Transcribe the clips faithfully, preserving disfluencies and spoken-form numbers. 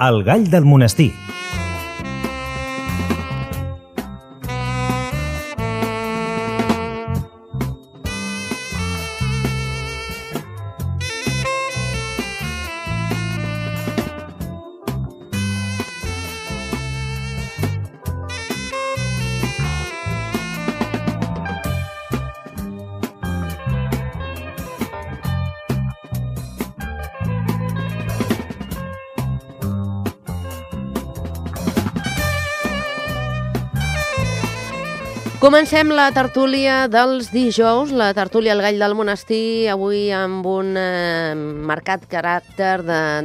El gall del monestir. Comencem la tertúlia dels dijous, la tertúlia al gall del monestir, avui amb un eh, marcat caràcter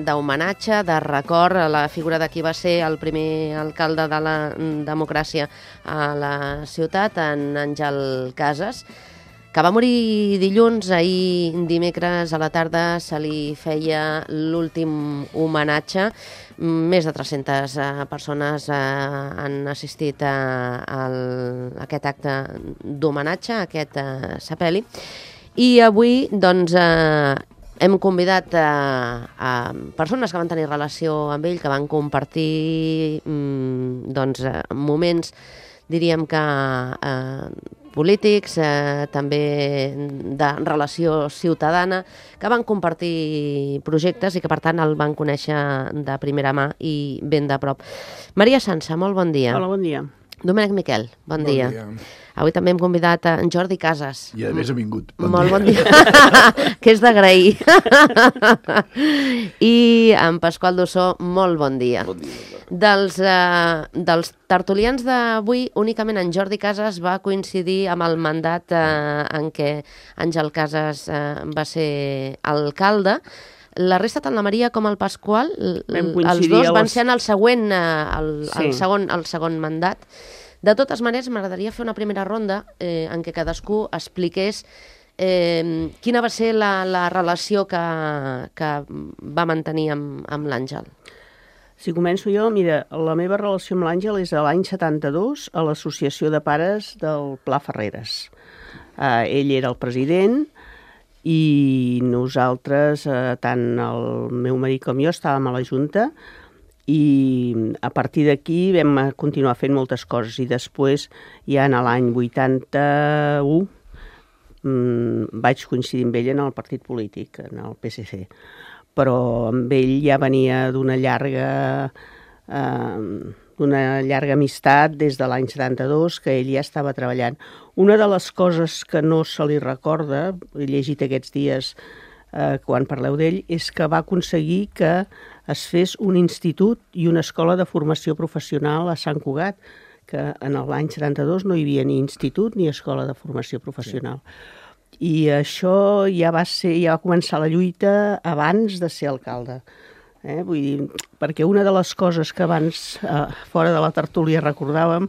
d'homenatge, de, de record a la figura de qui va ser el primer alcalde de la democràcia a la ciutat, en Àngel Casas, que va morir dilluns. Ahir dimecres a la tarda se li feia l'últim homenatge. Més de tres-centes uh, persones uh, han assistit a, a, a aquest acte d'homenatge, a aquest uh, sepeli. I avui doncs, uh, hem convidat uh, a persones que van tenir relació amb ell, que van compartir um, doncs, uh, moments, diríem que uh, polítics, eh, també de relació ciutadana, que van compartir projectes i que, per tant, el van conèixer de primera mà i ben de prop. Maria Sansa, molt bon dia. Hola, bon dia. Domènec Miquel, bon, bon dia. dia. Avui també hem convidat a en Jordi Casas. I a més ha vingut. Bon molt dia. Bon dia, que és d'agrair. I en Pasqual Dossó, molt bon dia. Bon dia. Dels, eh, dels tertulians d'avui, únicament en Jordi Casas va coincidir amb el mandat eh, en què Àngel Casas eh, va ser alcalde. La resta, tant la Maria com el Pasqual, els dos van ser en el següent, eh, el, sí. el, segon, el segon mandat. De totes maneres, m'agradaria fer una primera ronda eh, en què cadascú expliqués eh, quina va ser la, la relació que, que va mantenir amb, amb l'Àngel. Si començo jo, mira, la meva relació amb l'Àngel és a l'any setanta-dos a l'Associació de Pares del Pla Ferreres. Uh, ell era el president i nosaltres, uh, tant el meu marit com jo, estàvem a la Junta i a partir d'aquí vam continuar fent moltes coses i després, ja en l'any vuitanta-u, um, vaig coincidir amb ell en el partit polític, en el P S C. Però amb ell ja venia d'una llarga, eh, d'una llarga amistat des de l'any setanta-dos, que ell ja estava treballant. Una de les coses que no se li recorda, he llegit aquests dies eh, quan parleu d'ell, és que va aconseguir que es fes un institut i una escola de formació professional a Sant Cugat, que en l'any setanta-dos no hi havia ni institut ni escola de formació professional. Sí. I això ja va ser, ja va començar la lluita abans de ser alcalde. Eh? Vull dir, perquè una de les coses que abans, eh, fora de la tertúlia, recordàvem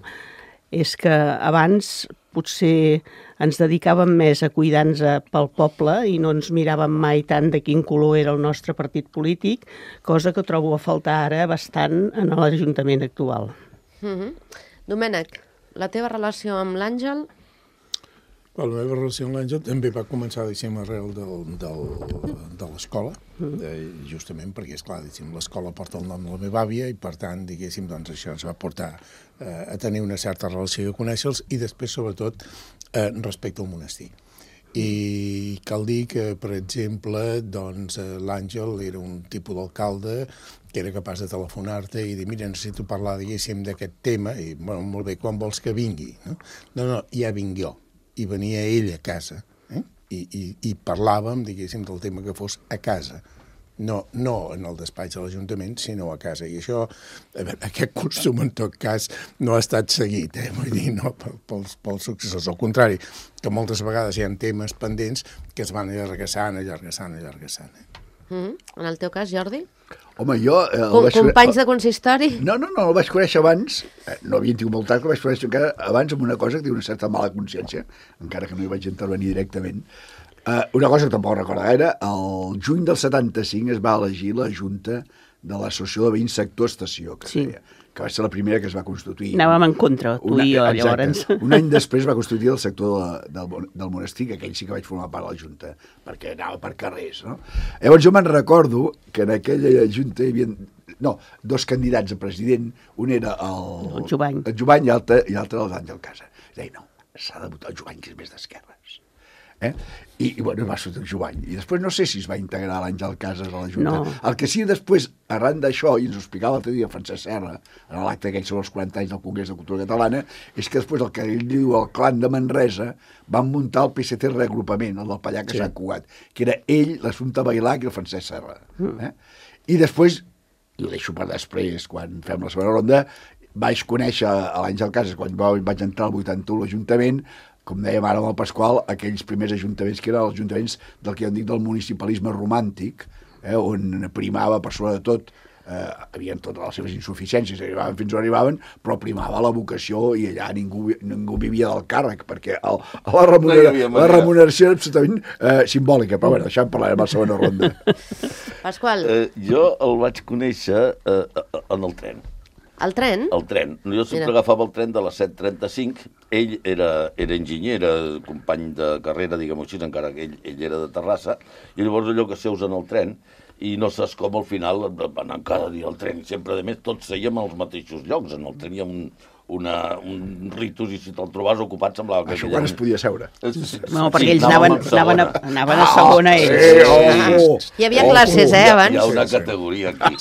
és que abans potser ens dedicàvem més a cuidar-nos pel poble i no ens miràvem mai tant de quin color era el nostre partit polític, cosa que trobo a faltar ara bastant en l'Ajuntament actual. Mm-hmm. Domènec, la teva relació amb l'Àngel? La meva relació amb l'Àngel també va començar, diguéssim, arrel del, del, de l'escola, eh, justament perquè, esclar, diguéssim, l'escola porta el nom de la meva àvia i, per tant, diguéssim, doncs això ens va portar eh, a tenir una certa relació i a conèixer-los i després, sobretot, eh, respecte al monestir. I cal dir que, per exemple, doncs, l'Àngel era un tipus d'alcalde que era capaç de telefonar-te i dir, mira, necessito parlar, diguéssim, d'aquest tema, i, bueno, molt bé, quan vols que vingui? No, no, no ja vinc jo. I venia ell a casa, eh? I, i, i parlàvem, diguéssim, del tema que fos a casa. No, no en el despatx de l'Ajuntament, sinó a casa. I això, a veure, aquest costum, en tot cas, no ha estat seguit, eh? Vull dir, no pels, pels successors. Al contrari, que moltes vegades hi ha temes pendents que es van allargassant, allargassant, allargassant. Eh? Mm-hmm. En el teu cas, Jordi? Home, jo... Eh, Com, companys de consistori? No, no, no, el vaig conèixer abans, eh, no havia tingut molt tard, però el vaig conèixer encara abans amb una cosa que té una certa mala consciència, encara que no hi vaig intervenir directament. Eh, una cosa que tampoc recordo gaire, el juny del setanta-cinc es va elegir la Junta de l'Associació de Veïns Sector Estació, que, sí. feia, que va ser la primera que es va constituir. Anàvem en contra, tu Una, i jo, exacte. llavors. Un any després va constituir el sector de, del, del monestir, que aquell sí que vaig formar part de la Junta, perquè anava per carrers, no? Llavors jo me'n recordo que en aquella Junta hi havia, no, dos candidats a president, un era el... El Jovany. El Jovany i l'altre era l'Àngel Casa. Deia, no, s'ha de votar el Jovany, que és més d'esquerres. Eh? I, i bueno, va sortir el Jovany. I després no sé si es va integrar l'Àngel Casas a la Junta. No. El que sí, després, arran d'això, i ens ho explicava l'altre dia Francesc Serra, en l'acte aquell sobre els quaranta anys del Congrés de Cultura Catalana, és que després el que ell diu el clan de Manresa van muntar el P S C reagrupament, el del Pallac a Sí. Sant Cugat, que era ell, l'Assumpta Bailac i el Francesc Serra. Eh? I després, i ho deixo per després, quan fem la segona ronda, vaig conèixer a l'Àngel Casas, quan vaig entrar al vuitanta-u a l'Ajuntament, com dèiem ara amb el Pasqual, aquells primers ajuntaments que eren els ajuntaments del que jo en dic del municipalisme romàntic, eh, on primava per sobre de tot, eh, havien totes les seves insuficiències, arribaven fins on arribaven, però primava la vocació i allà ningú, ningú vivia del càrrec, perquè el, la, remunera, No la remuneració era absolutament eh, simbòlica, però bueno, això en parlarem a la segona ronda. Pasqual, Eh, jo el vaig conèixer eh, en el tren. el tren? El tren. Jo sempre Mira. agafava el tren de les set trenta-cinc. Ell era, era enginyer, era company de carrera, diguem-ho així, encara que ell, ell era de Terrassa, i llavors allò que seus en el tren, i no saps com al final van anar cada dia al tren, i sempre, a més, tots sèiem als mateixos llocs. En el tren hi ha un, una, un ritus, i si te'l trobaves ocupat semblava que... Això quan es podia seure. No, perquè ells anaven, anaven, a, anaven a segona ells. Eh, oh, oh. Hi havia classes, eh, Hi ha abans? una categoria aquí.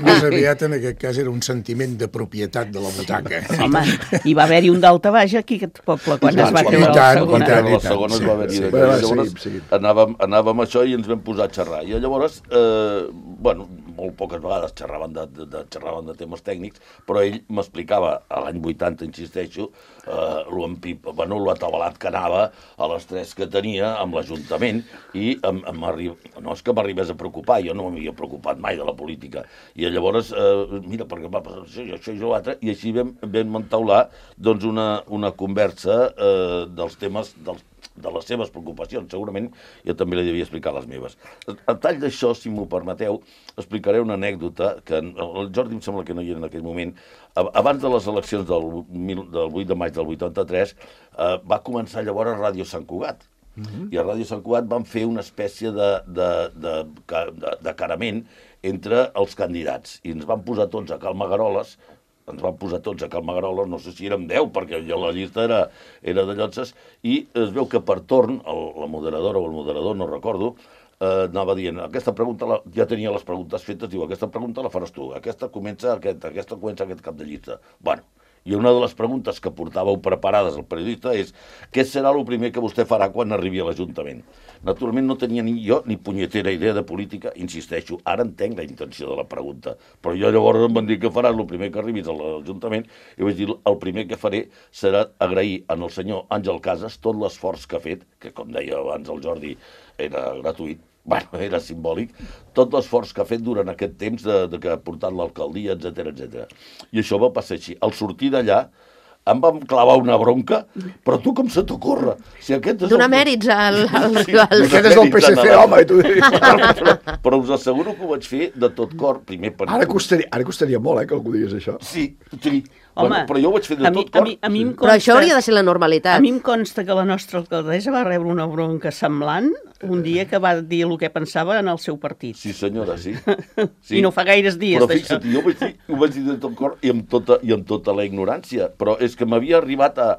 Més aviat, en aquest cas, era un sentiment de propietat de la butaca. Home, hi va haver-hi un d'Alta Baix aquí, aquest poble, quan I es va tant, treure i la tant, segona. i tant. La segona es va haver-hi Sí, d'aquí. va, va, Llavors seguim, seguim. anàvem, anàvem a això i ens vam posar a xerrar. I llavors, eh, bueno, molt poques vegades xerraven de, de, de, xerraven de temes tècnics, però ell m'explicava, a l'any vuitanta, insisteixo, eh, lo, empip, bueno, lo atabalat que anava a les tres que tenia amb l'Ajuntament, i em, em arriba, no és que m'arribés a preocupar, jo no m'havia preocupat mai de la política. I llavors, eh, mira, perquè va passar això, això i l'altre, i així vam, vam entaular doncs, una, una conversa eh, dels temes, dels de les seves preocupacions, segurament jo també li devia explicar les meves. A tall d'això, si m'ho permeteu, explicaré una anècdota que el Jordi em sembla que no hi era en aquell moment. Abans de les eleccions del, del vuit de maig del vuitanta-tres eh, va començar llavors a Ràdio Sant Cugat. Uh-huh. I a Ràdio Sant Cugat van fer una espècie de, de, de, de, de carament entre els candidats i ens van posar tots a cal Magaroles, ens van posar tots a cal Magaroles, no sé si érem deu, perquè la llista era, era de llotses, i es veu que per torn, el, la moderadora o el moderador, no recordo, eh, anava dient, aquesta pregunta, la, ja tenia les preguntes fetes, diu, aquesta pregunta la faràs tu, aquesta comença aquest, aquesta comença aquest cap de llista. Bueno, i una de les preguntes que portàveu preparades al periodista és què serà el primer que vostè farà quan arribi a l'Ajuntament? Naturalment no tenia ni jo ni punyetera idea de política, insisteixo, ara entenc la intenció de la pregunta, però jo llavors em van dir que faràs el primer que arribis a l'Ajuntament i vaig dir el primer que faré serà agrair al senyor Àngel Casas tot l'esforç que ha fet, que com deia abans el Jordi era gratuït, bueno, era simbòlic, tot l'esforç que ha fet durant aquest temps de, de que ha portat l'alcaldia, etcètera, etcètera. I això va passar així. Al sortir d'allà, em vam clavar una bronca, però tu com se t'ocorre? Si aquest és Donar el... mèrits al... al, Sí, al... Aquest és el P S C, home, i tu però, però us asseguro que ho vaig fer de tot cor, primer per... Ara costaria, ara costaria molt, eh, que algú digués això. Sí, sí. Home, bueno, però jo ho vaig fer de a mi, tot cor. a mi, a mi em Però això hauria de ser la A normalitat. mi em consta que la nostra alcaldessa va rebre una bronca semblant un dia que va dir el que pensava en el seu partit. Sí, senyora, sí. sí. I no fa gaires dies però d'això. fixa't, jo vaig dir, ho vaig dir de tot cor i amb tota, i amb tota la ignorància, però és que m'havia arribat a,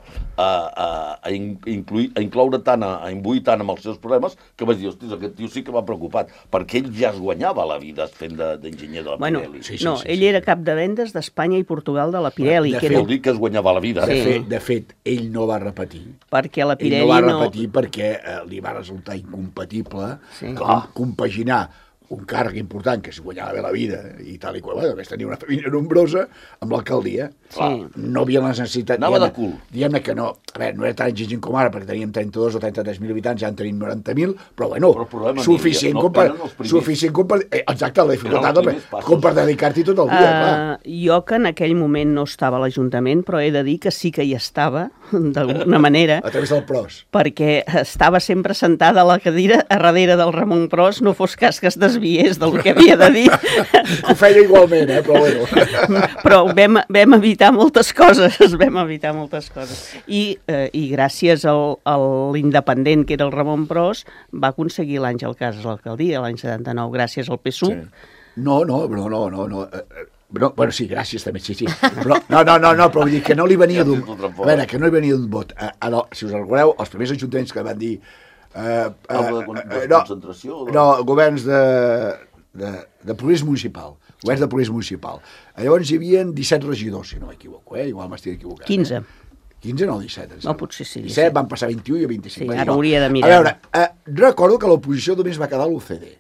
a, a, a, incluir, a incloure tant, a, a imbuir tant amb els seus problemes, que vaig dir, hòstia, aquest tio sí que m'ha preocupat, perquè ell ja es guanyava la vida fent d'enginyer de, de la Bueno, Pirelli. sí, sí, no, sí, ell sí. era cap de vendes d'Espanya i Portugal de la Pirelli, De que fet, era Vol dir que es guanyava la vida. De, Sí. fet, de fet, ell no va repetir. perquè la Ell Pirelli no va no... repetir perquè eh, li va resultar incompatible Sí. com, compaginar un càrrec important, que es guanyava bé la vida, i tal i qual, bueno, a més tenia una família nombrosa, amb l'alcaldia. Sí. No havia la necessitat... Anava de diguem-ne- cul. Diguem-ne que no, a veure, no era tan exigent com ara, perquè teníem trenta-dos o trenta-tres mil habitants, ja en tenim noranta mil, però bueno, Però el problema suficient, no, com per, eren els primers. suficient com per... Eh, exacte, la dificultat, els com, primers passos. com per dedicar-t'hi tot el dia, clar. Uh, jo que en aquell moment no estava a l'Ajuntament, però he de dir que sí que hi estava, d'alguna manera. A través del Pros. Perquè estava sempre sentada a la cadira a darrere del Ramon Pros, no fos cas que es desviés del que havia de dir. Ho feia igualment, eh? Però bueno. Però vam, vam evitar moltes coses, vam evitar moltes coses. I, eh, i gràcies al, a l'independent, que era el Ramon Pros, va aconseguir l'Àngel Casas a l'alcaldia, l'any setanta-nou, gràcies al P S U. Sí. No, no, no, no, no, no. No, bueno, sí, gràcies també, sí, sí. Però, no, no, no, no, però vull dir que no li venia d'un... A veure, que no li venia d'un vot. A, a, no, si us recordeu, els primers ajuntaments que van dir... Eh, eh, de, de, de no, concentració? No, governs de, de, de progrés municipal. Governs de progrés municipal. Llavors hi havia disset regidors, si no m'equivoco, eh? Igual m'estic equivocant. quinze. Eh? quinze, no, disset. No, potser sí. disset, van passar vint-i-u i vint-i-cinc. Sí, ara hauria de mirar. A veure, eh, recordo que l'oposició només va quedar a l'U C D,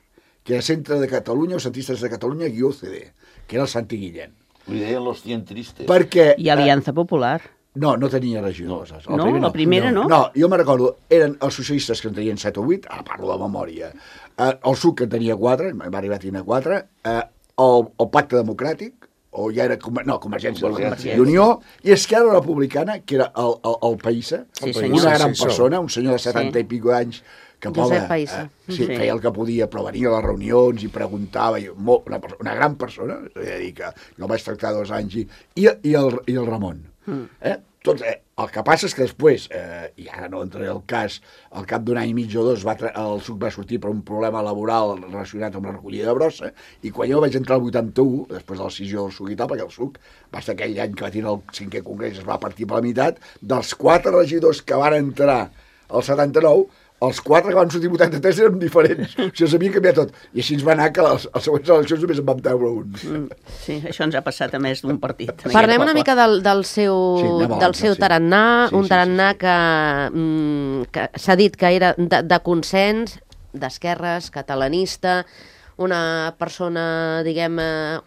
que era Centre de Catalunya o Centristes de Catalunya guió C D, que era el Santi Guillén. Li deien los cien tristes. Perquè... I Aliança Popular. No, no tenia regidors. No, no, la primera no. No, jo me recordo, eren els socialistes que en tenien set o vuit, ara parlo de memòria, eh, el S U C que en tenia quatre, va arribar a tenir quatre, eh, el, el Pacte Democràtic, o ja era, no, Convergència, Convergència i Unió, i Esquerra Republicana, que era el, el, el Païssa, sí, una gran sí, persona, un senyor de setanta sí. i pico anys, que Josep Païssa. Eh, sí, sí, feia el que podia, però venia a les reunions i preguntava, i molt, una, una gran persona, és a dir, que jo el vaig tractar dos anys, i, i, i, el, i el Ramon. Mm. Eh? Tot, eh, el que passa és que després, eh, i ara no entraré al cas, al cap d'un any i mig o dos, va el S U C va sortir per un problema laboral relacionat amb la recollida de brossa, i quan jo vaig entrar al vuitanta-u, després de la decisió del S U C i tal, perquè el S U C va ser aquell any que va tenir el cinquè congrés, es va partir per la meitat, dels quatre regidors que van entrar al setanta-nou, els quatre que van sortir vuitanta-tres eren diferents. O sigui, s'havia canviat tot. I així ens va anar que les, les següents eleccions només en vam treure un. Mm, sí, això ens ha passat a més d'un partit. Parlem una mica del, del seu, sí, del seu sí. tarannà, Sí, un sí, tarannà sí, sí. que, mm, que s'ha dit que era de, de consens, d'esquerres, catalanista, una persona, diguem,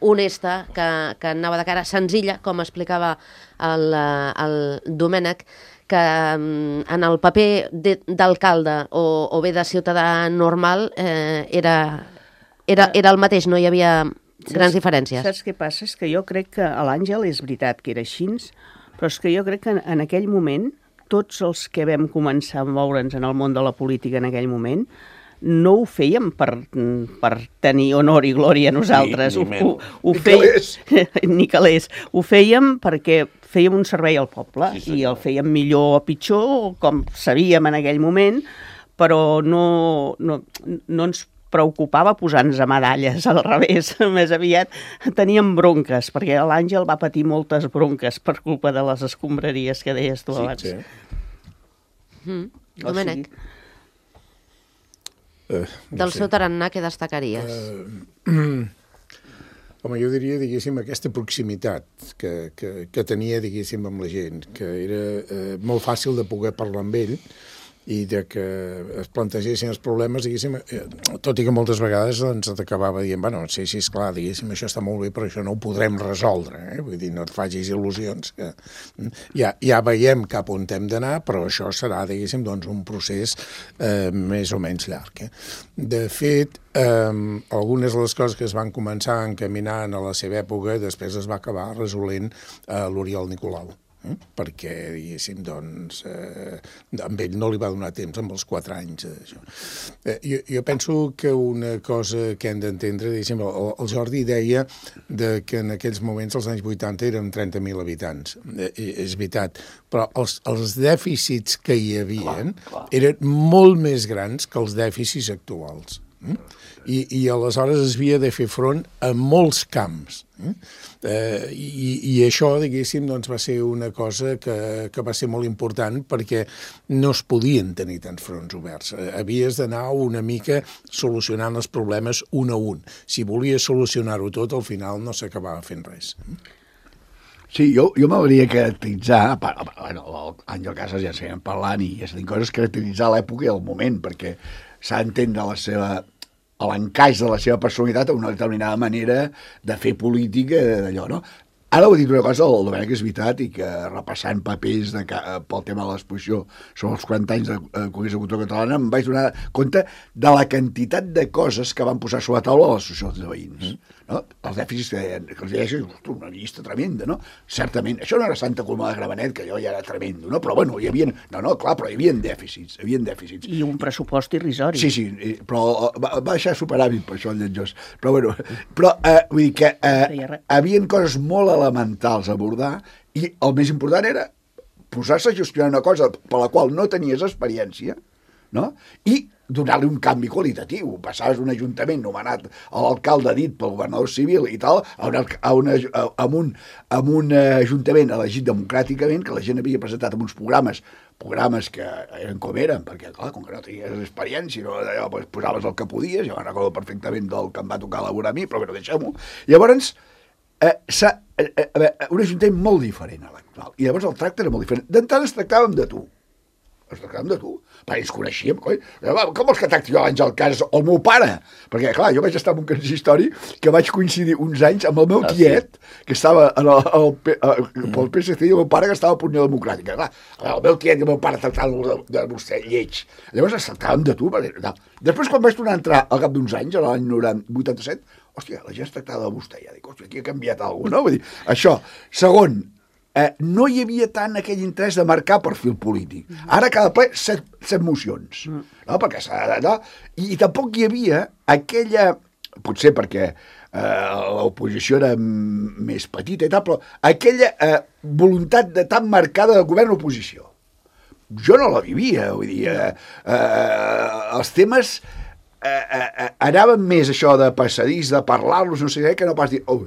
honesta, que, que anava de cara, senzilla, com explicava el, el Domènec, que en el paper d'alcalde o, o bé de ciutadà normal eh, era, era, era el mateix, no hi havia grans saps, diferències. Saps què passa? És que jo crec que a l'Àngel és veritat que era així, però és que jo crec que en, en aquell moment, tots els que vam començar a moure'ns en el món de la política en aquell moment, no ho fèiem per, per tenir honor i glòria a nosaltres. Ni, ni ho, ho, ho ni feia... calés. Ni calés. Ho fèiem perquè fèiem un servei al poble, sí, i el fèiem millor o pitjor, com sabíem en aquell moment, però no, no, no ens preocupava posar-nos a medalles, al revés. Més aviat teníem bronques, perquè l'Àngel va patir moltes bronques per culpa de les escombraries que deies tu abans. Sí, sí. Mm. Domènec, O sigui, Uh, no del sé. seu tarannà, què destacaries? Uh, home, jo diria, diguéssim, aquesta proximitat que, que, que tenia, diguéssim, amb la gent, que era eh, molt fàcil de poder parlar amb ell i de que es plantegessin els problemes, diguéssim, eh, tot i que moltes vegades ens acabava dient, bueno, sí, sí, esclar, diguéssim, això està molt bé, però això no ho podrem resoldre, eh? Vull dir, no et facis il·lusions, que ja, ja veiem cap on hem d'anar, però això serà, diguéssim, doncs, un procés eh, més o menys llarg. Eh? De fet, eh, algunes de les coses que es van començar a encaminar a la seva època, després es va acabar resolent a l'Oriol Nicolau. Eh? Perquè, diguéssim, doncs, eh, amb ell no li va donar temps amb els quatre anys. Això. Eh, jo, jo penso que una cosa que hem d'entendre, diguéssim, el, el Jordi deia de que en aquells moments, als anys vuitanta, eren trenta mil habitants. Eh, és veritat, però els, els dèficits que hi havien eren molt més grans que els dèficits actuals. Eh? I, i aleshores es havia de fer front a molts camps. Eh? Eh, i, I això, diguéssim, doncs, va ser una cosa que, que va ser molt important perquè no es podien tenir tants fronts oberts. Eh, havies d'anar una mica solucionant els problemes un a un. Si volies solucionar-ho tot, al final no s'acabava fent res. Sí, jo, jo m'hauria caracteritzar, bueno, l'Àngel Casas ja seguim parlant i ja s'ha dit coses, caracteritzar l'època i el moment, perquè s'ha d'entendre la seva... l'encaix de la seva personalitat a una determinada manera de fer política d'allò, no? Ara ho he dit una cosa, el Domènec és veritat, i que repassant papers de, pel tema de l'exposició sobre els quaranta anys del Congrés de Cultura Catalana em vaig donar compte de la quantitat de coses que van posar sobre la taula a les associacions de veïns. Mm. No? Els dèficits que, que els deia, ostres, una llista tremenda, no? Certament, això no era Santa Coloma de Gramenet, que allò ja era tremendo, no? Però bueno, hi havia... No, no, clar, però hi havia dèficits, hi havia dèficits. I un pressupost irrisori. Sí, sí, però va, va deixar superàvit per això el lletjós. Però bueno, però eh, vull dir que eh, hi havia coses molt elementals a abordar i el més important era posar-se a gestionar una cosa per la qual no tenies experiència, no? I donar-li un canvi qualitatiu. Passaves d'un ajuntament nomenat a l'alcalde dit pel governador civil i tal, a, una, a, una, a, a, un, a un ajuntament elegit democràticament, que la gent havia presentat amb uns programes, programes que eren com eren, perquè, clar, com que no tenies experiència, no, allò, pues, posaves el que podies, jo me'n recordo perfectament del que em va tocar elaborar a mi, però bueno, deixem-ho. Llavors, eh, s'ha, eh, eh, un ajuntament molt diferent a l'actual, i llavors el tracte era molt diferent. D'entrada es tractàvem de tu, ens tractàvem de tu, perquè ens coneixíem, coi. Com vols que tracti jo l'Àngel Casas o el meu pare? Perquè, clar, jo vaig estar en un consistori que vaig coincidir uns anys amb el meu tiet, que estava en el, el, el, pel P S C, i el meu pare que estava a Unió Democràtica. Clar, el meu tiet i el meu pare tractaven de, de vostè, lleig. Llavors ens tractàvem de tu. No. Després, quan vaig tornar a entrar al cap d'uns anys, a l'any vuitanta-set, hòstia, la gent es tractava de vostè. Ja dic, hòstia, aquí ha canviat alguna cosa, no? Vull dir, això. Segon, Eh, no hi havia tant aquell interès de marcar perfil polític. Ara cada ple set, set mocions, no? Perquè s'ha de... I, I tampoc hi havia aquella... Potser perquè eh, l'oposició era més petita i tal, però aquella eh, voluntat de tan marcada de govern-oposició. Jo no la vivia, vull dir... Eh, eh, els temes eh, eh, anaven més això de passadís, de parlar-los, no sé què, que no pas dir... Oh,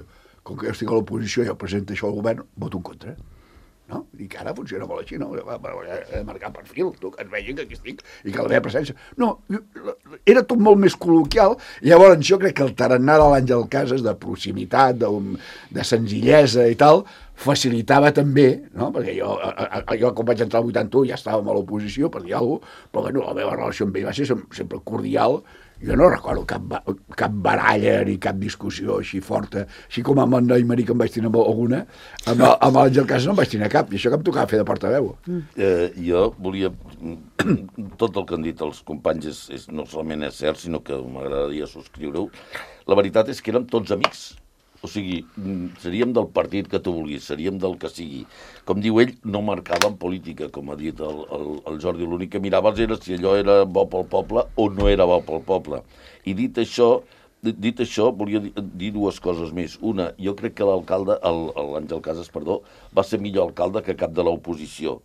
com que jo estic a l'oposició i jo presento això al govern, voto en contra. No? I que ara funciona molt així, no? He de marcar perfil, tu, que es vegin que aquí estic i que la meva presència... No, era tot molt més col·loquial, i llavors jo crec que el tarannà de l'Àngel Casas, de proximitat, de, de senzillesa i tal, facilitava també, no? Perquè jo, jo quan vaig entrar al vuitanta-u ja estàvem a l'oposició, per dir alguna cosa, però bueno, la meva relació amb ell va ser sempre cordial. Jo no recordo cap, cap baralla ni cap discussió així forta, així com amb en Aimeric em vaig tenir alguna, amb, amb l'Àngel Casas no em vaig tenir cap, i això que em tocava fer de portaveu. Mm. Eh, jo volia... Tot el que han dit els companys és, és, no solament és cert, sinó que m'agradaria subscriure-ho. La veritat és que érem tots amics. O sigui, seríem del partit que tu vulguis, seríem del que sigui. Com diu ell, no marcàvem política, com ha dit el, el, el Jordi. L'únic que miraves era si allò era bo pel poble o no era bo pel poble. I dit això, dit això volia dir, dir dues coses més. Una, jo crec que l'alcalde, l'Àngel Casas, perdó, va ser millor alcalde que cap de l'oposició,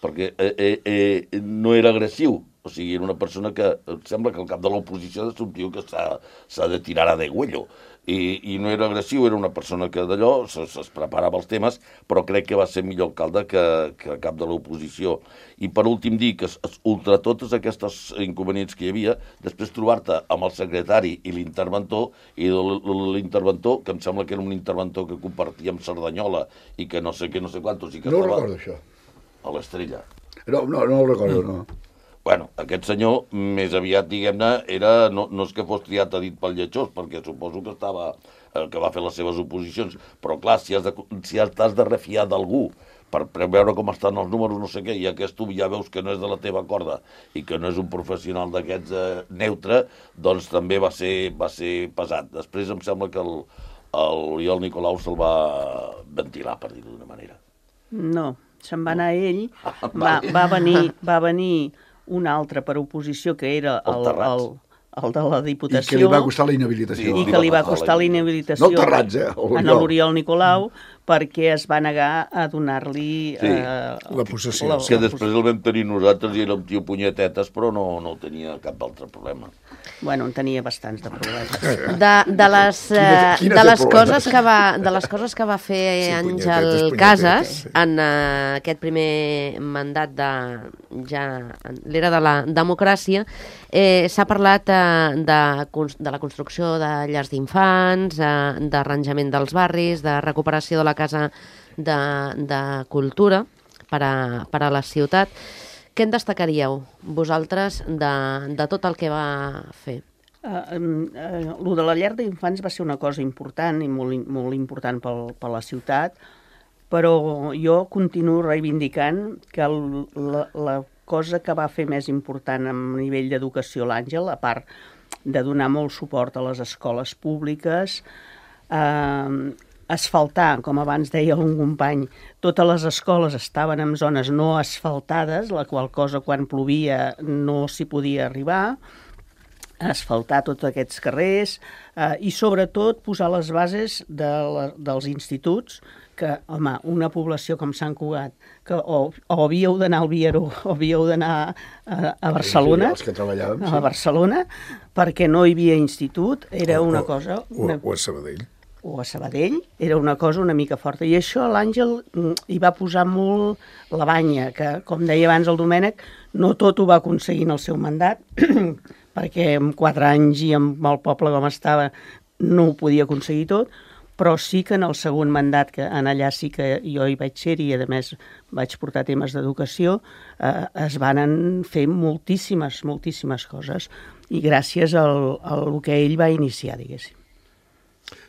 perquè eh, eh, eh, no era agressiu. O sigui, era una persona que sembla que el cap de l'oposició és un tio que s'ha de tirar a degüello. I, i no era agressiu, era una persona que d'allò es, es preparava els temes, però crec que va ser millor alcalde que, que cap de l'oposició. I per últim dir que ultra totes aquestes inconvenients que hi havia, després trobar-te amb el secretari i l'interventor, i l'interventor, que em sembla que era un interventor que compartia amb Cerdanyola, i que no sé què, no sé quantos... I que no estava... recordo això. A l'Estrella. No, no, no ho recordo, no. Bueno, aquest senyor, més aviat, diguem-ne, era, no, no és que fos triat a dit pel lletjós, perquè suposo que estava, eh, que va fer les seves oposicions, però clar, si has de, si has de refiar d'algú per, per veure com estan els números, no sé què, i aquest tu ja veus que no és de la teva corda i que no és un professional d'aquests eh, neutre, doncs també va ser, va ser pesat. Després em sembla que el, l'Oriol Nicolau se'l va ventilar, per dir-ho d'una manera. No, se'n va anar ell, va, va venir... Va venir un altre per oposició, que era el, el, el de la Diputació. I que li va costar la inhabilitació. I que li va costar la inhabilitació no Terrats, eh? a l'Oriol Nicolau, perquè es va negar a donar-li... Sí, eh, la possessió. La, que després el vam tenir nosaltres i era un tio punyetetes, però no, no tenia cap altre problema. Bueno, en tenia bastants de problemes. De, de les, quina, quina de les coses que va, de les coses que va fer sí, Àngel Casas sí. en uh, aquest primer mandat de ja l'era de la democràcia, eh, s'ha parlat uh, de, de la construcció de llars d'infants, uh, d'arranjament dels barris, de recuperació de la casa de, de cultura per a, per a la ciutat. Què en destacaríeu vosaltres de, de tot el que va fer? Uh, uh, lo de la llar d'infants va ser una cosa important i molt, molt important pel, per la ciutat, però jo continuo reivindicant que el, la, la cosa que va fer més important a nivell d'educació l'Àngel, a part de donar molt suport a les escoles públiques, eh, asfaltar, com abans deia un company, totes les escoles estaven en zones no asfaltades, la qual cosa quan plovia no s'hi podia arribar, asfaltar tots aquests carrers eh, i sobretot posar les bases de la, dels instituts que, home, una població com Sant Cugat, que o, o havíeu d'anar al Vieró o havíeu d'anar a, a Barcelona, sí, els que treballàvem, a sí. Barcelona, perquè no hi havia institut, era o, una o, cosa... O, una... o a Sabadell. o a Sabadell, era una cosa una mica forta. I això l'Àngel hi va posar molt la banya, que, com deia abans el Domènec, no tot ho va aconseguir en el seu mandat, perquè en quatre anys i amb el poble com estava no ho podia aconseguir tot, però sí que en el segon mandat, que en allà sí que jo hi vaig ser i a més vaig portar temes d'educació, eh, es van fer moltíssimes, moltíssimes coses i gràcies al, al que ell va iniciar, diguéssim.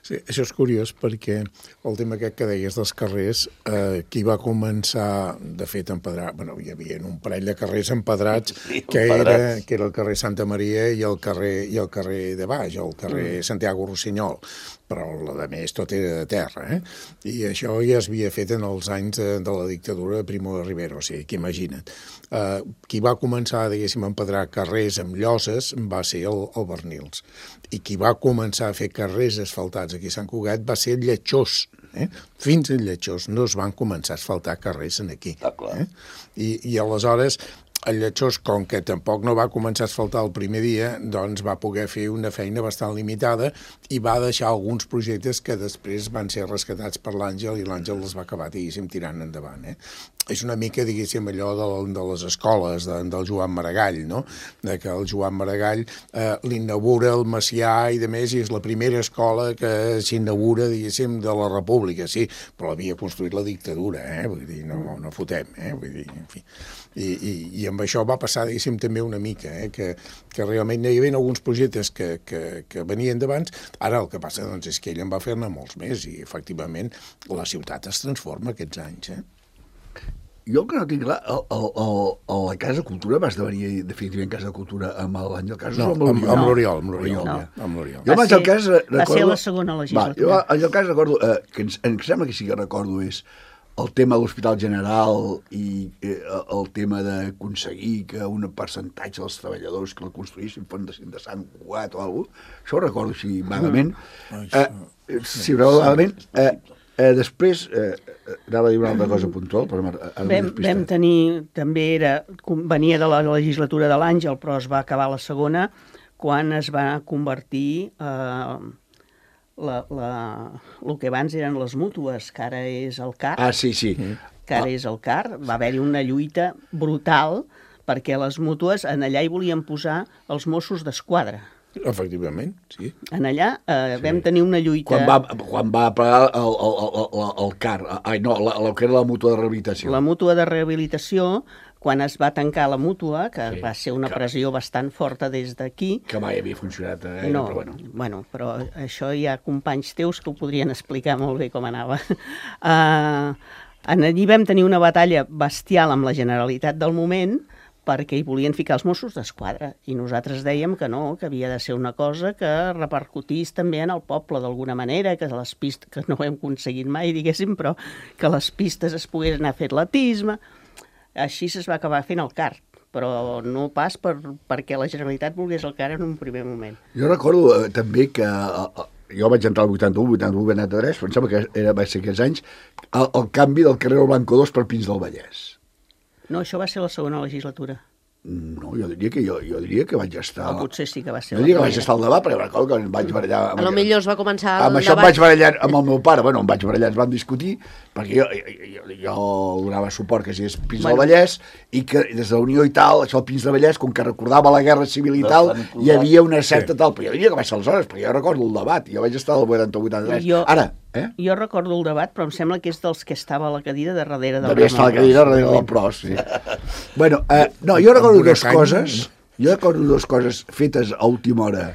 Sí, això és curiós perquè el tema aquest que deies dels carrers, eh, qui va començar, de fet, a empedrar... Bueno, hi havia un parell de carrers empedrats, sí, que, era, que era el carrer Santa Maria i el carrer, i el carrer de baix, el carrer mm. Santiago Rossinyol, però la de més tot era de terra, eh? I això ja es havia fet en els anys de, de la dictadura de Primo de Rivera, o sigui, que imagina't. Uh, qui va començar, diguéssim, a empedrar carrers amb lloses va ser el, el Bernils. I qui va començar a fer carrers asfaltats aquí a Sant Cugat va ser el Lletjós. Eh? Fins al Lletjós no es van començar a asfaltar carrers aquí. Ah, clar. Eh? I, I aleshores el Lletjós, com que tampoc no va començar a asfaltar el primer dia, doncs va poder fer una feina bastant limitada i va deixar alguns projectes que després van ser rescatats per l'Àngel i l'Àngel els va acabar, diguéssim, tirant endavant. Eh? És una mica, diguéssim, allò de, de les escoles, de, del Joan Maragall, no? De que el Joan Maragall eh, l'inaugura el Macià i de més, i és la primera escola que s'inaugura, diguéssim, de la República, sí, però l'havia construït la dictadura, eh? Vull dir, no, no fotem, eh? Vull dir, en fi... I, i, i amb això va passar, diguéssim, també una mica, eh? que, que realment hi havia alguns projectes que, que, que venien d'abans. Ara el que passa doncs, és que ell en va fer-ne molts més i, efectivament, la ciutat es transforma aquests anys. Eh? Jo el que no tinc clar, el, el, el, el, la Casa Cultura va esdevenir definitivament Casa Cultura amb l'Àngel Casas no, o amb l'Oriol? Amb l'Oriol, amb l'Oriol. No. Ja. Amb l'Oriol. Jo abans el cas recordo... Va ser la segona legislatura. Va, jo el cas recordo, eh, que ens, em sembla que sí que recordo és el tema de l'Hospital General i eh, el tema d'aconseguir que un percentatge dels treballadors que la construïssin fossin de Sant Cugat o alguna cosa. Això ho recordo així vagament. Eh, sí, vagament. Eh, eh, després, eh, anava a dir una altra cosa puntual, però ara vam, vam tenir, també era, venia de la legislatura de l'Àngel, però es va acabar la segona, quan es va convertir... Eh, La, la, el que abans eren les mútues, que ara és el C A R. Ah, sí, sí. Que ara és el C A R. Va haver-hi una lluita brutal perquè les mútues en allà hi volien posar els Mossos d'Esquadra. Efectivament, sí. En allà eh, sí. vam tenir una lluita... Quan va, quan va pagar el, el, el, el C A R, ai, no, la, la que era la mútua de rehabilitació. La mútua de rehabilitació, quan es va tancar la mútua, que sí, va ser una que... pressió bastant forta des d'aquí... Que mai havia funcionat, eh? No, però bueno. bueno, però això hi ha companys teus que ho podrien explicar molt bé com anava. Uh, allí vam tenir una batalla bestial amb la Generalitat del moment, perquè hi volien ficar els Mossos d'Esquadra, i nosaltres dèiem que no, que havia de ser una cosa que repercutís també en el poble d'alguna manera, que les pistes, que no ho hem aconseguit mai, diguéssim, però que les pistes es poguessin anar a fer atletisme... Així es va acabar fent el C A R, però no pas per, perquè la Generalitat volgués el C A R en un primer moment. Jo recordo eh, també que eh, jo vaig entrar al vuitanta-u, vuitanta-u, vuitanta-tres, però em sembla que era, va ser aquests anys, el, el canvi del carrer Blanco dos per Pins del Vallès. No, això va ser la segona legislatura. No, jo diria que jo, jo diria que vaig estar... O potser sí que va ser jo la diria que vaig estar al debat, perquè recordo que em vaig barallar... A lo millor es va començar el amb debat... això em vaig barallar amb el meu pare, bueno, em vaig barallar, ens vam discutir, perquè jo, jo, jo donava suport que sigués Pins bueno. del Vallès, i que des de la Unió i tal, això del Pins del Vallès, com que recordava la Guerra Civil i tal, hi havia una certa sí. tal, però jo diria que va ser aleshores, perquè jo recordo el debat, jo vaig estar al vuitanta-u vuitanta-tres. Jo... Ara, eh? Jo recordo el debat, però em sembla que és dels que estava a la cadira de darrere del... Devia estar a la cadira darrere del Pros, sí. Bueno, eh, no, jo recordo dues coses, jo recordo dues coses fetes a última hora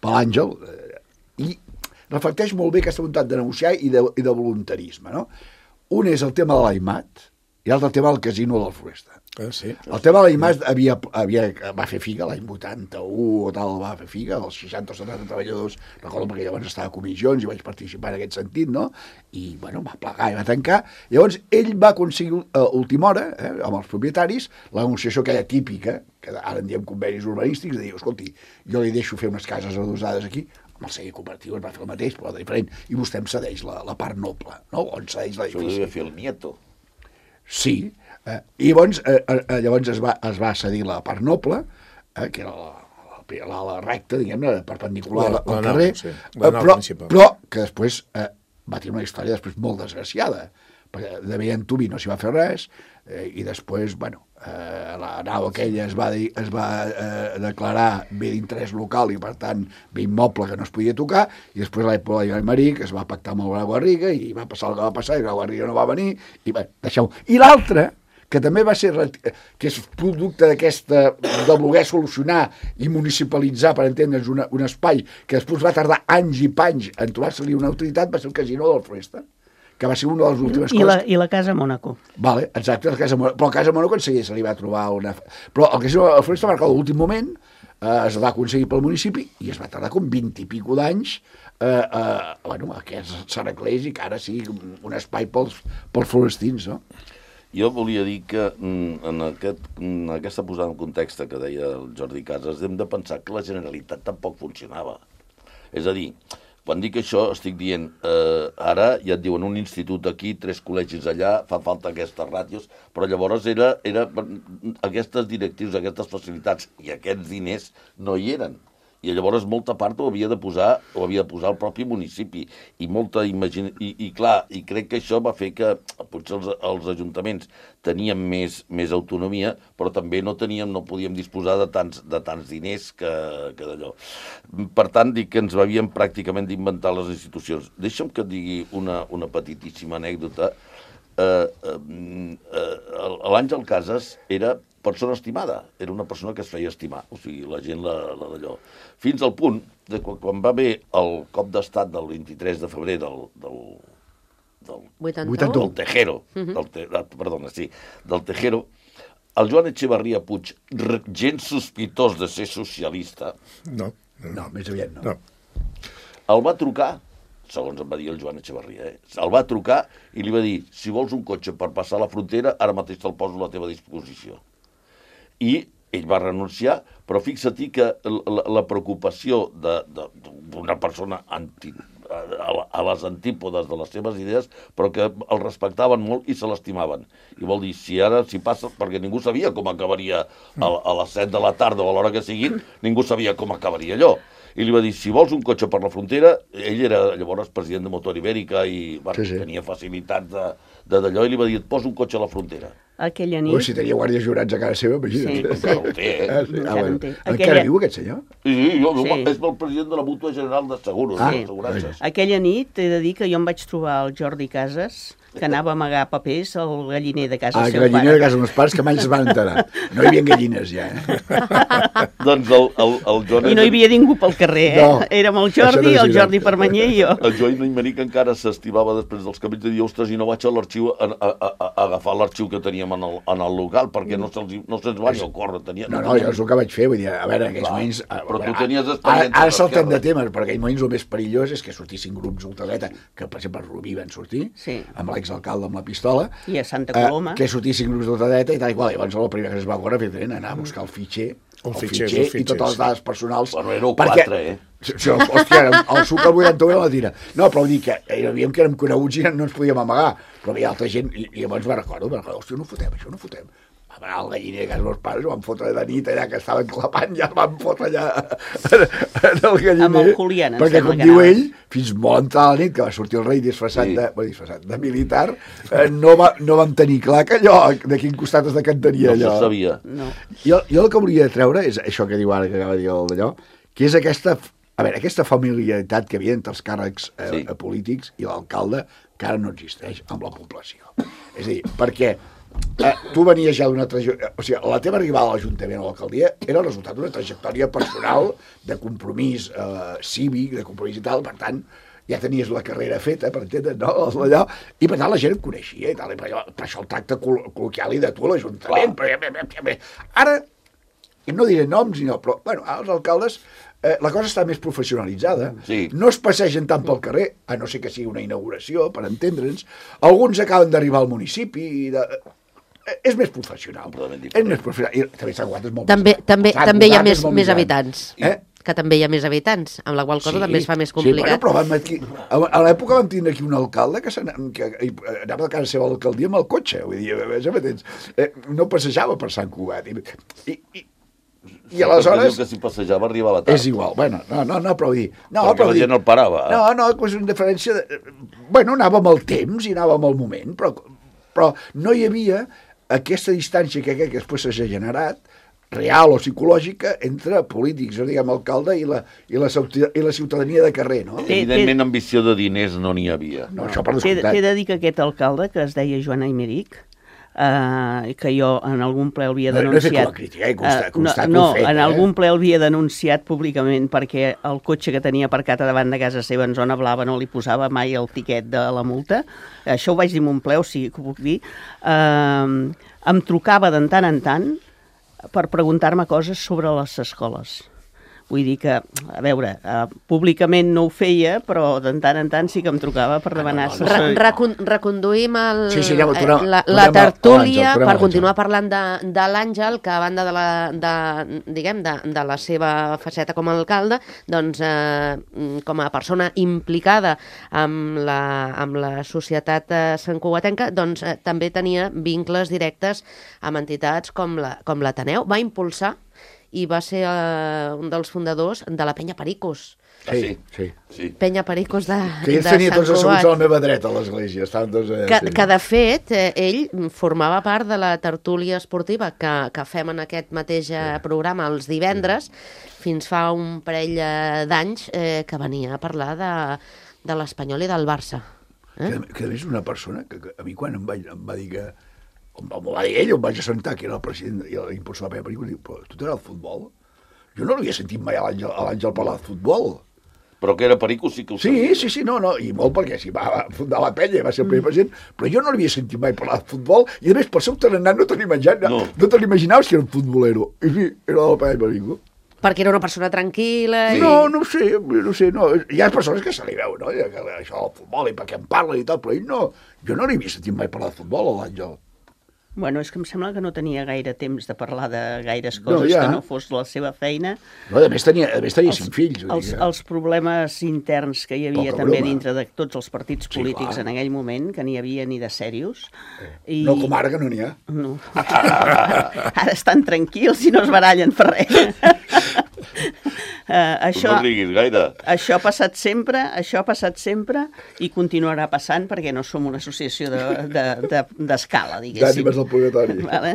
per l'Àngel, eh, i reflecteix molt bé aquesta voluntat de negociar i de, i de voluntarisme, no? Un és el tema de l'Aimat i l'altre el tema del casino del Floresta. Ah, sí. El tema de l'Aimat havia, havia, va fer figa l'any vuitanta-u o tal, va fer figa, dels seixanta o setanta treballadors, recordo perquè llavors estava a comissions i vaig participar en aquest sentit, no? I, bueno, va plegar i va tancar. Llavors, ell va aconseguir a última hora, eh, amb els propietaris, la negociació aquella típica, que ara en diem convenis urbanístics, de dir, escolti, jo li deixo fer unes cases adosades aquí, amb el segell cooperatiu es va fer el mateix, però diferent, i vostè em cedeix la, la part noble, no? On cedeix l'edifici. Això ho devia fer el nieto. Sí, eh, i llavors, eh, eh, llavors es, va, es va cedir la part noble, eh, que era la, la, la, la recta, diguem-ne, perpendicular La- al la carrer, nau, sí, eh, la nau però, principal. però que després eh, va tenir una història després molt desgraciada, perquè de bé en Tubi no s'hi va fer res, eh, i després, bueno, eh, la nau aquella es va, dir, es va eh, declarar bé d'interès local i, per tant, bé immoble que no es podia tocar, i després a l'època de Marí, que es va pactar amb el Grau Garriga, i va passar el que va passar, i el Grau Garriga no va venir, i bé, deixeu. I l'altre, que també va ser, que és producte d'aquesta, de voler solucionar i municipalitzar, per entendre'ns, una, un espai que després va tardar anys i panys en trobar-se-li una autoritat, va ser el casino del Floresta, que va ser una de les últimes I coses. la, I la Casa Mònaco. Vale, exacte, la Casa Mònaco. Però la Casa Mònaco en seguida se li va trobar una... Però el casino del Floresta va marcar l'últim moment, eh, es va aconseguir pel municipi i es va tardar com vint i pico d'anys eh, eh, bueno, que s'arreglés i que ara sigui un espai pels, pels florestins, no? Jo volia dir que en, aquest, en aquesta posada en context que deia el Jordi Casas, hem de pensar que la Generalitat tampoc funcionava. És a dir, quan dic això estic dient, eh, ara ja et diuen un institut aquí, tres col·legis allà, fa falta aquestes ràtios, però llavors era, era aquestes directius, aquestes facilitats i aquests diners no hi eren. I llavors molta part ho havia de posar ho havia de posar el propi municipi i molta imagina... I, i clar, i crec que això va fer que potser els, els ajuntaments tenien més, més autonomia, però també no teníem, no podíem disposar de tants, de tants diners que, que d'allò. Per tant, dic que ens havíem pràcticament d'inventar les institucions. Deixa'm que et digui una, una petitíssima anècdota. Eh, eh, eh, L'Àngel Casas era persona estimada, era una persona que es feia estimar, o sigui, la gent la, la d'allò. Fins al punt de quan, quan va haver el cop d'estat del vint-i-tres de febrer del, del, del, vuitanta-u? del Tejero, Mhm. del te, perdona, sí, del Tejero, el Joan Echevarria Puig, re- gens sospitós de ser socialista, No, no, No, més aviat no. no. el va trucar, segons em va dir el Joan Echevarria, eh? el va trucar i li va dir, si vols un cotxe per passar la frontera, ara mateix te'l poso a la teva disposició. I ell va renunciar, però fixa-t'hi que la, la preocupació d'una persona anti, a, a les antípodes de les seves idees, però que el respectaven molt i se l'estimaven. I vol dir, si ara s'hi passa, perquè ningú sabia com acabaria a, a les set de la tarda o a l'hora que sigui, ningú sabia com acabaria allò. I li va dir, si vols un cotxe per la frontera, ell era llavors president de Motor Ibèrica i bueno, Sí, sí. tenia facilitats de, de d'allò, i li va dir, et poso un cotxe a la frontera. Aquella Ui, nit... si tenia guàrdies jurats a casa seva, imagina't. Sí, Encara ho té, eh? Ah, sí. Ah, Encara bueno. en té. Encara Aquella- viu aquest senyor? Sí, jo, jo, Sí. és el president de la Mútua General de Seguros, Ah, de assegurances. Aquella nit he de dir que jo em vaig trobar el Jordi Casas, que anava a amagar papers al galliner de casa Ah, del que seu galliner pare. de casa meus pares, que mai es van enterar. No hi havia gallines, ja. Eh? Doncs el, el, el Joan... I no hi havia ningú pel carrer, eh? No, Érem el això no Jordi, és el veritat. Jordi Permanyer i jo. El Joan Imeri, que encara s'estimava després dels camells, de dir, ostres, i no vaig a l'arxiu a, a, a, a agafar l'arxiu que teníem en el, en el local, perquè no se'ls no se'ns va ni ocórrer. Tenia, No, no, jo és el que vaig fer, vull dir, a veure, en aquells Clar, moments... a- però tu a- tenies Ara, experiència ara saltem d'esquerra. de temes, perquè en aquells moments el més perillós és que sortissin grups ultradreta, que per exemple a Rubí van sortir, Sí. amb l'exalcalde amb la pistola, I a Santa eh, Coloma. que sortissin grups d'ultradreta i tal i qual. Llavors el primer que es va veure evidentment, anar a buscar el fitxer, El el fitxer, fitxer, els i totes fitxers. les dades personals. Bueno, éreu perquè- quatre, eh? Sí, sí, hòstia, el suc al vuitanta-u era la tira. No, però vull dir que hi havia que érem coneguts i no ens podíem amagar, però hi havia altra gent, i, i llavors me'n recordo, me'n recordo, hòstia, no fotem, això no fotem. Va anar al galliner de casa meus pares, ho van fotre de nit allà, que estaven clapant, ja el van fotre allà en, en el galliner. Amb el Julián, em perquè, sembla com que diu anava. ell, fins molt entrada la nit, que va sortir el rei disfressat, Sí. de, bueno, disfressat de militar, eh, no, va, no vam tenir clar que allò, de quin costat es decantaria No allò. se sabia. No. Jo, jo el que volia treure és això que diu ara, que acaba de dir el d'allò, que és aquesta, a veure, aquesta familiaritat que hi havia entre els càrrecs eh, Sí. polítics i l'alcalde, que ara no existeix amb la població. És a dir, perquè eh, tu venies ja d'una trajectòria... O sigui, la teva arribada a l'Ajuntament o a l'alcaldia era el resultat d'una trajectòria personal, de compromís eh, cívic, de compromís i tal, per tant, ja tenies la carrera feta, per entendre's, no? Allò, i per tant la gent et coneixia i tal, i per, allò, per això el tracte col col·loquial i de tu a l'Ajuntament. Ara, no diré noms, no, però, bueno, els alcaldes, eh, la cosa està més professionalitzada. Sí. No es passegen tant pel carrer, a no ser que sigui una inauguració, per entendre'ns. Alguns acaben d'arribar al municipi i de... És més professional. És més professional. I també Sant Cugat és molt també, més també, Sant també hi ha Cugat és més, molt més gran. habitants. Eh? Que també hi ha més habitants, amb la qual cosa Sí, també es fa més Sí, complicat. bueno, però vam aquí, a, a l'època vam tindre aquí un alcalde que, que anava a casa seva a l'alcaldia amb el cotxe, vull dir, eh, no passejava per Sant Cugat. I, i, i, i aleshores... que si passejava arribava tard. És igual, bueno, no, no, no, però vull dir... No, perquè però la dir, gent el parava. No, no, és una diferència... De, bueno, anava amb el temps i anava amb el moment, però, però no hi havia aquesta distància que, que després s'ha generat, real o psicològica, entre polítics, o diguem, alcalde i la, i la, i la ciutadania de carrer, no? Evidentment, ambició de diners no n'hi havia. No, això per T'he descomptat. de dir que aquest alcalde, que es deia Joan Aymeric, eh, que jo en algun ple havia No, no he fet denunciat... la crítica, eh? Consta- eh, constato no, el fet, en eh? algun ple havia denunciat públicament perquè el cotxe que tenia aparcat a davant de casa seva en zona blava no li posava mai el tiquet de la multa. Això ho vaig dir en un ple, o sigui que ho puc dir. Eh, em trucava de tant en tant per preguntar-me coses sobre les escoles. Vull dir que, a veure, uh, públicament no ho feia, però de tant en tant sí que em trucava per demanar... no, no, Re no. recon reconduïm el, Sí, sí, anem, tornem- la, tornem la a- tertúlia a l'Àngel, tornem a per l'Àngel. continuar parlant de, de l'Àngel, que a banda de la, de, diguem, de, de la seva faceta com a alcalde, doncs, eh, com a persona implicada amb la, amb la societat eh, santcugatenca, doncs eh, també tenia vincles directes amb entitats com la, com l'Ateneu. Va impulsar i va ser eh, un dels fundadors de la Penya Pericos. Ah, sí? Sí. Sí. Penya Pericos de, Que ells de tenien Sant tots asseguts Cugat. a la meva dreta a l'església. Estaven tots allà. Que, sí. que de fet, eh, ell formava part de la tertúlia esportiva que, que fem en aquest mateix eh, programa els divendres, fins fa un parell eh, d'anys eh, que venia a parlar de, de l'Espanyol i del Barça. Eh? Que, que a més una persona que, que a mi quan em va, em va dir que... Em va, em va dir ell, em vaig assentar, que era el president i l'impulsor de la meva pel·lícula, i diu, però tu t'agrada el futbol? Jo no l'havia sentit mai a l'Àngel a l'Àngel parlar de futbol. Però que era perico sí que ho Sí, sabia. sí, sí, no, no, i molt perquè si va, va fundar la penya, va ser el primer president, però jo no l'havia sentit mai parlar de futbol, i a més, per ser un tarannà no te l'imaginaves, No. no te l'imaginaves que era un futbolero. I sí, era de la penya perico. Perquè era una persona tranquil·la. Sí. I... No, no ho sé, no ho sé, no. Hi ha persones que se li veu, no? Que això del futbol i per què en parlen i tal, però ell no. Jo no l'havia sentit mai parlar de futbol, a l'Àngel. Bueno, és que em sembla que no tenia gaire temps de parlar de gaires No, coses ja. que no fos la seva feina. No, a més tenia, a més tenia cinc fills. vull Els, dir que- els problemes interns que hi havia Poca també broma. dintre de tots els partits Sí, polítics clar. en aquell moment, que n'hi havia ni de serios. I... No com ara, que no n'hi ha. No. Ara estan tranquils i no es barallen per res. Uh, això, No riguis gaire. això ha passat sempre, això ha passat sempre i continuarà passant perquè no som una associació d'escala, de, de, d'escala, diguéssim. D'ànimes del purgatori. Vale?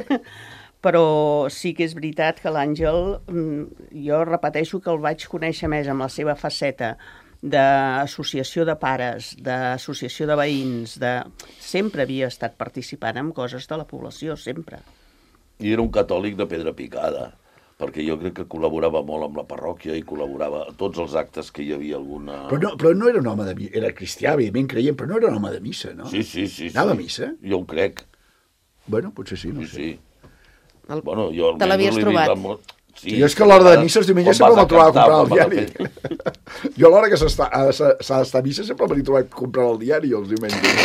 Però sí que és veritat que l'Àngel, mm, jo repeteixo que el vaig conèixer més amb la seva faceta d'associació de pares, d'associació de veïns, de... sempre havia estat participant en coses de la població, sempre. I era un catòlic de pedra picada, perquè jo crec que col·laborava molt amb la parròquia i col·laborava a tots els actes que hi havia alguna... Però no, però no era un home de missa, era cristià, evidentment creient, però no era un home de missa, no? Sí, sí, sí. Anava sí. a missa? Jo ho crec. Bueno, potser sí, no Sí, sé. sí. El... Bueno, jo Te l'havies almenys l'he vist trobat? amb molt- Sí, Jo és que a l'hora de missa els diumenges quan sempre vas me'l trobava a cantar, comprar el quan vas a diari. Jo a l'hora que s'està ha- s'ha s'ha d'estar a missa sempre m'he trobat comprant el diari els diumenges.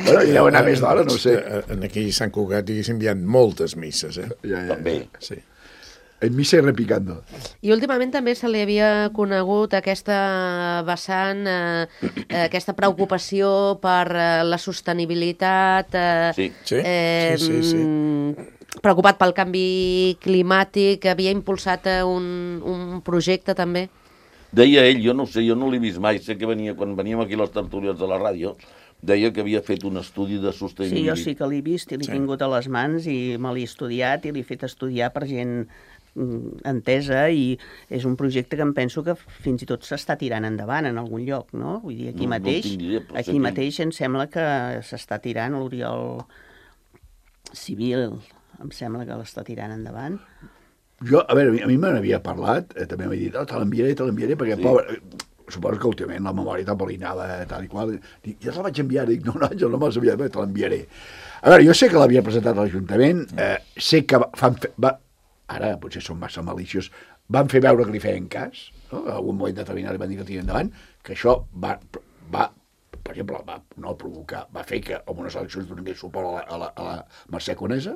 Bueno, i deu anar més d'hora, no ho sé. Eh, En aquell Sant Cugat, diguéssim, hi ha moltes misses, eh? Ja, ja, També. Sí. En missa i repicando. I últimament també se li havia conegut aquesta vessant, eh, aquesta preocupació per eh, la sostenibilitat, eh, Sí. Sí, eh, sí, sí, sí. mm, preocupat pel canvi climàtic, havia impulsat eh, un, un projecte també. Deia ell, jo no sé, jo no l'he vist mai, sé que venia, quan veníem aquí a les tertúlies de la ràdio, deia que havia fet un estudi de Sí, sostenibilitat. jo sí que l'he vist i l'he Sí. tingut a les mans i me l'he estudiat i l'he fet estudiar per gent mm, entesa i és un projecte que em penso que fins i tot s'està tirant endavant en algun lloc, no? Vull dir, aquí No- no mateix, tinc idea, però sé aquí que- mateix em sembla que s'està tirant, l'Oriol civil, em sembla que l'està tirant endavant. Jo, a veure, a mi me n'havia parlat, eh, també m'ha dit, oh, te l'enviaré, te l'enviaré, perquè, sí. pobre, suposo que últimament la memòria tan bolinada, tal i qual, dic, ja te la vaig enviar, dic, no, no, jo no me l'has enviat, te l'enviaré. A veure, jo sé que l'havia presentat a l'Ajuntament, eh, sé que fan, va, ara potser són massa maliciós, van fer veure que li feien cas, no? En algun moment determinat li van dir que tiri endavant, que això va, va per exemple, va no provocar, va fer que en unes eleccions donés suport a la, a la, a la Mercè Conesa,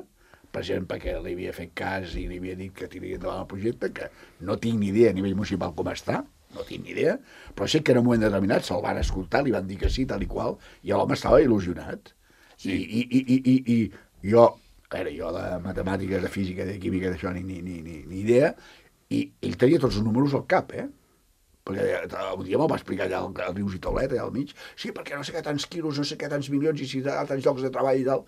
precisament perquè li havia fet cas i li havia dit que tiraria endavant el projecte, que no tinc ni idea a nivell municipal com està, no tinc ni idea, però sé que en un moment determinat se'l van escoltar, li van dir que sí, tal i qual, i l'home estava il·lusionat. Sí. I, i, i, i, i jo, a veure, jo de matemàtiques, de física, de química, d'això, ni, ni, ni, ni, ni idea, i ell tenia tots els números al cap, eh? Perquè un dia me'l va explicar allà al Rius i Taulet, allà al mig, sí, perquè no sé què tants quilos, no sé què tants milions, i si hi ha tants llocs de treball i tal.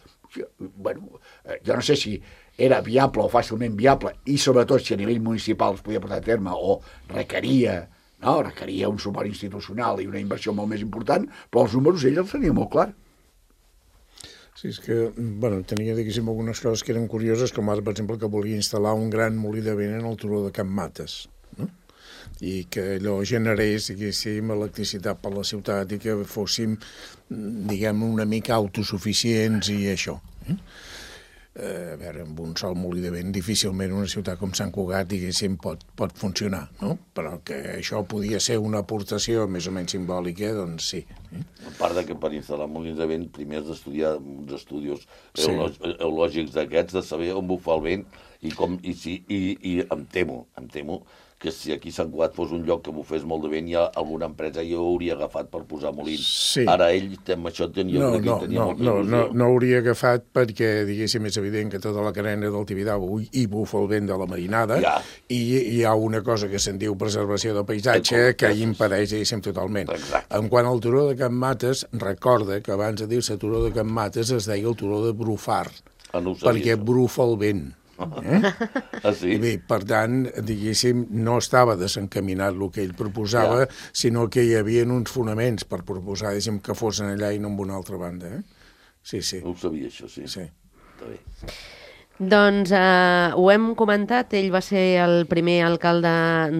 Bueno, jo no sé si era viable o fàcilment viable, i sobretot si a nivell municipal es podia portar a terme o requeria, no, requeria un suport institucional i una inversió molt més important, però els números ell els tenia molt clar. Sí, és que, bueno, tenia, diguéssim, algunes coses que eren curioses, com ara, per exemple, que volia instal·lar un gran molí de vent en el turó de Can Mates, no? I que allò generés, diguéssim, electricitat per la ciutat i que fóssim, diguem, una mica autosuficients i això. Eh? A veure, amb un sol molí de vent difícilment una ciutat com Sant Cugat, diguéssim, pot, pot funcionar, no? Però que això podia ser una aportació més o menys simbòlica, doncs sí. Eh? A part de que per instal·lar molins de vent primer has d'estudiar uns estudis sí. eològics d'aquests, de saber on bufa el vent i com, i, si, i, i em temo, em temo que si aquí Sant Cugat fos un lloc que bufés molt de vent, ja alguna empresa ja ho hauria agafat per posar molins. Sí. Ara ell amb això tenia, no, no, tenia no, molta no, il·lusió. No, no hauria agafat perquè, diguéssim, és evident que tota la carena del Tibidabo hi bufa el vent de la marinada ja. i hi ha una cosa que se'n diu preservació del paisatge el que hi impedeix, diguéssim, totalment. Exacte. En quant al turó de Can Mates, recorda que abans de dir-se turó de Can Mates es deia el turó de Brufar, ah, no perquè això. Brufa el vent. Eh? Ah, sí? I bé, per tant, diguéssim, no estava desencaminat el que ell proposava, ja. sinó que hi havia uns fonaments per proposar, diguéssim, que fossin allà i no en una altra banda. Eh? Sí, sí. No ho sabia, això, sí. Sí. Està bé. Doncs eh, ho hem comentat, ell va ser el primer alcalde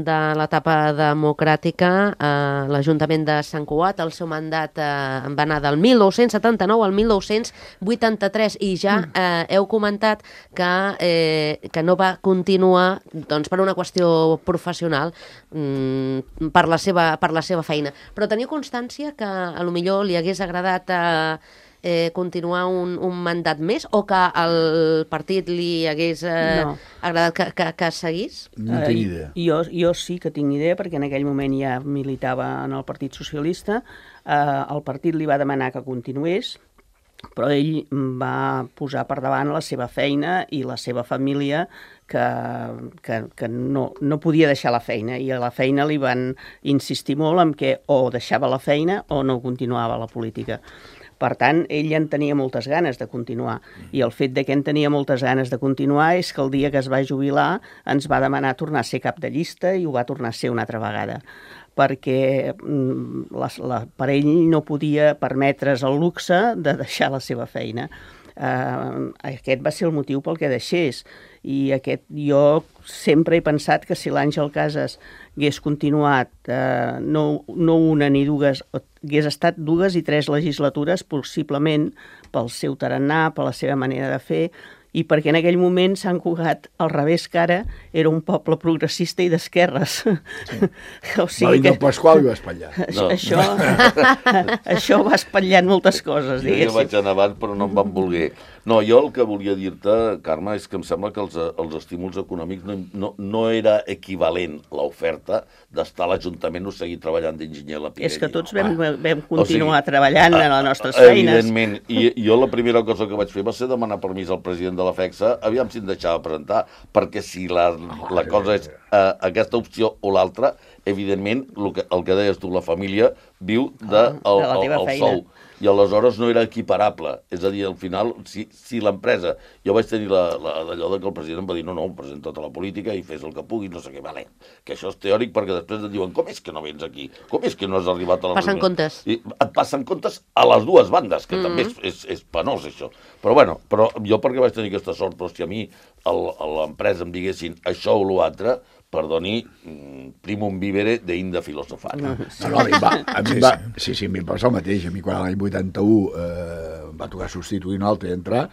de l'etapa democràtica a l'Ajuntament de Sant Cugat. El seu mandat eh, va anar del mil nou-cents setanta-nou al mil nou-cents vuitanta-tres i ja eh, heu comentat que, eh, que no va continuar doncs, per una qüestió professional, mm, per, la seva, per la seva feina. Però teniu constància que a lo millor li hagués agradat eh, Eh, continuar un, un mandat més o que el partit li hagués eh, no. agradat que, que, que seguís? No tinc idea. Eh, jo, jo sí que tinc idea perquè en aquell moment ja militava en el Partit Socialista. Eh, el partit li va demanar que continués, però ell va posar per davant la seva feina i la seva família que, que, que no, no podia deixar la feina i a la feina li van insistir molt en que o deixava la feina o no continuava la política. Per tant, ell en tenia moltes ganes de continuar i el fet de que en tenia moltes ganes de continuar és que el dia que es va jubilar ens va demanar tornar a ser cap de llista i ho va tornar a ser una altra vegada perquè la, la, per ell no podia permetre's el luxe de deixar la seva feina. Uh, aquest va ser el motiu pel que deixés i aquest, jo sempre he pensat que si l'Àngel Casas hagués continuat uh, no, no una ni dues, hagués estat dues i tres legislatures possiblement pel seu tarannà, per la seva manera de fer i perquè en aquell moment Sant Cugat, al revés que ara, era un poble progressista i d'esquerres. Sí. O sigui que... Pasqual i va espatllar. No. Això, això va espatllant moltes coses, diguéssim. Jo vaig anar abans, però no em van voler. No, jo el que volia dir-te, Carme, és que em sembla que els, els estímuls econòmics no, no, no era equivalent l'oferta d'estar a l'Ajuntament o seguir treballant d'enginyer a la Pirelli. És que tots vam, vam continuar o sigui, treballant en les nostres feines. Evidentment, i jo la primera cosa que vaig fer va ser demanar permís al president de la FECSA, aviam si em deixava presentar, perquè si la, la cosa és uh, aquesta opció o l'altra, evidentment, el que, el que deies tu, la família viu de, el, de la teva el, el feina. sou. i aleshores no era equiparable. És a dir, al final, si, si l'empresa... Jo vaig tenir d'allò que el president em va dir no, no, presenta tota la política i fes el que puguis, no sé què, vale. Que això és teòric perquè després et diuen com és que no vens aquí? Com és que no has arribat a la Passen reunió? comptes. I et passen comptes a les dues bandes, que mm-hmm. també és, és, és penós, això. Però bueno, però jo perquè vaig tenir aquesta sort, però si a mi el, a l'empresa em diguessin això o l'altre, perdoni, primum vivere d'Inda filosofana. No, no, a mi va, a mi va, sí, sí, a mi em passa el mateix. A mi quan l'any vuitanta-u eh, em va tocar substituir un altre i entrar,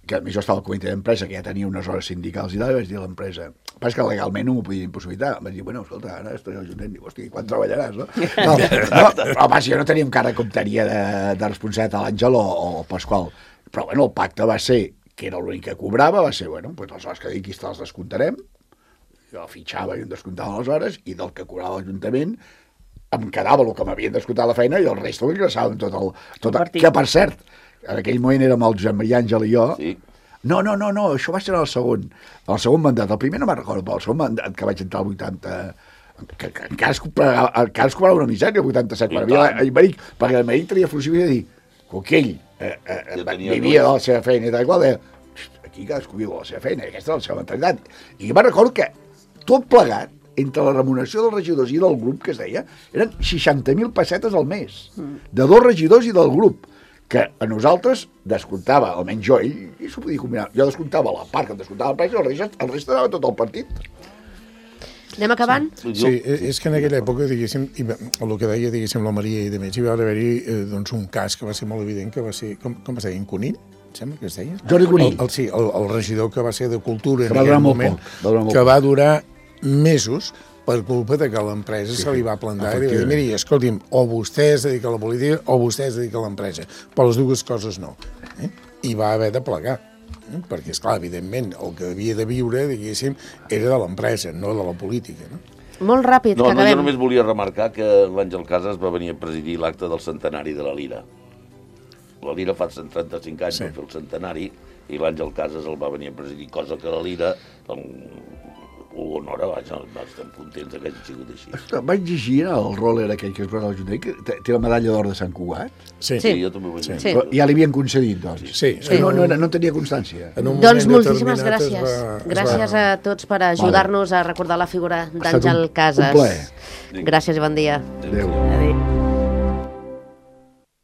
que a mi jo estava al comitè d'empresa, que ja tenia unes hores sindicals i tal, i vaig dir a l'empresa, pas que legalment no m'ho podia impossibilitar. Em vaig dir, bueno, escolta, ara estaré al Juntet, dic, hosti, quan treballaràs, no? No, no però pas, jo no tenia encara com tenia de, de responsabilitat a l'Àngel o, o el Pasqual. Però bueno, el pacte va ser, que era l'únic que cobrava, va ser, bueno, doncs les hores que dic, te les descomptarem, jo fitxava i em descomptava les hores, i del que cobrava l'Ajuntament em quedava el que m'havien descomptat la feina i el resta ho ingressàvem tot el... Tot el que, per cert, en aquell moment érem el Josep Maria Àngel i jo... Sí. No, no, no, no, això va ser el segon, el segon mandat. El primer no me'n recordo, però el segon mandat que vaig entrar al vuitanta... Que, que encara, es cobrava, encara es cobrava una misèria, el vuitanta-set, per mi, l'Imeric, perquè l'Imeric tenia fluxivitat i dir, Coquell, eh, eh, vivia de la seva feina i tal qual, deia, aquí cadascú viu de la seva feina, i aquesta és la seva mentalitat. I jo me'n recordo que tot plegat, entre la remuneració dels regidors i del grup, que es deia, eren seixanta mil pessetes al mes, de dos regidors i del grup, que a nosaltres descomptava, almenys jo, ell, i s'ho podia combinar, jo descomptava la part que em descomptava el premi, el resta, el resta anava tot el partit. Anem acabant? Sí, sí, és que en aquella època, diguéssim, el que deia, diguéssim, la Maria i de més, hi va haver-hi eh, doncs, un cas que va ser molt evident, que va ser, com, com es deia, en Conill? Sembla que es deia? Jordi Conill. El, el, sí, el, el regidor que va ser de Cultura que en aquell moment, poc, va que va durar mesos per culpa de que l'empresa sí, se li va plantar i va dir, miri, escolti'm, o vostè es dedica a la política o vostè es dedica a l'empresa, però les dues coses no. Eh? I va haver de plegar, eh? perquè, esclar, evidentment, el que havia de viure, diguéssim, era de l'empresa, no de la política. No? Molt ràpid, no, que no, acabem. jo només volia remarcar que l'Àngel Casas va venir a presidir l'acte del centenari de la Lira. La Lira fa cent trenta-cinc anys sí. va fer el centenari i l'Àngel Casas el va venir a presidir, cosa que la Lira ho honora, vaja, estem contents que hagi sigut així. Ostres, vaig llegir el roller aquell que es va al Junter, que té la medalla d'or de Sant Cugat. Sí. sí, jo també ho vaig dir. Sí. Però ja li havien concedit, doncs. Sí. sí. No, no, no tenia constància. Doncs moltíssimes gràcies. Va, gràcies va... a tots per ajudar-nos vale. a recordar la figura d'Àngel Casas. Un plaer. Gràcies i bon dia. Adéu. Adéu.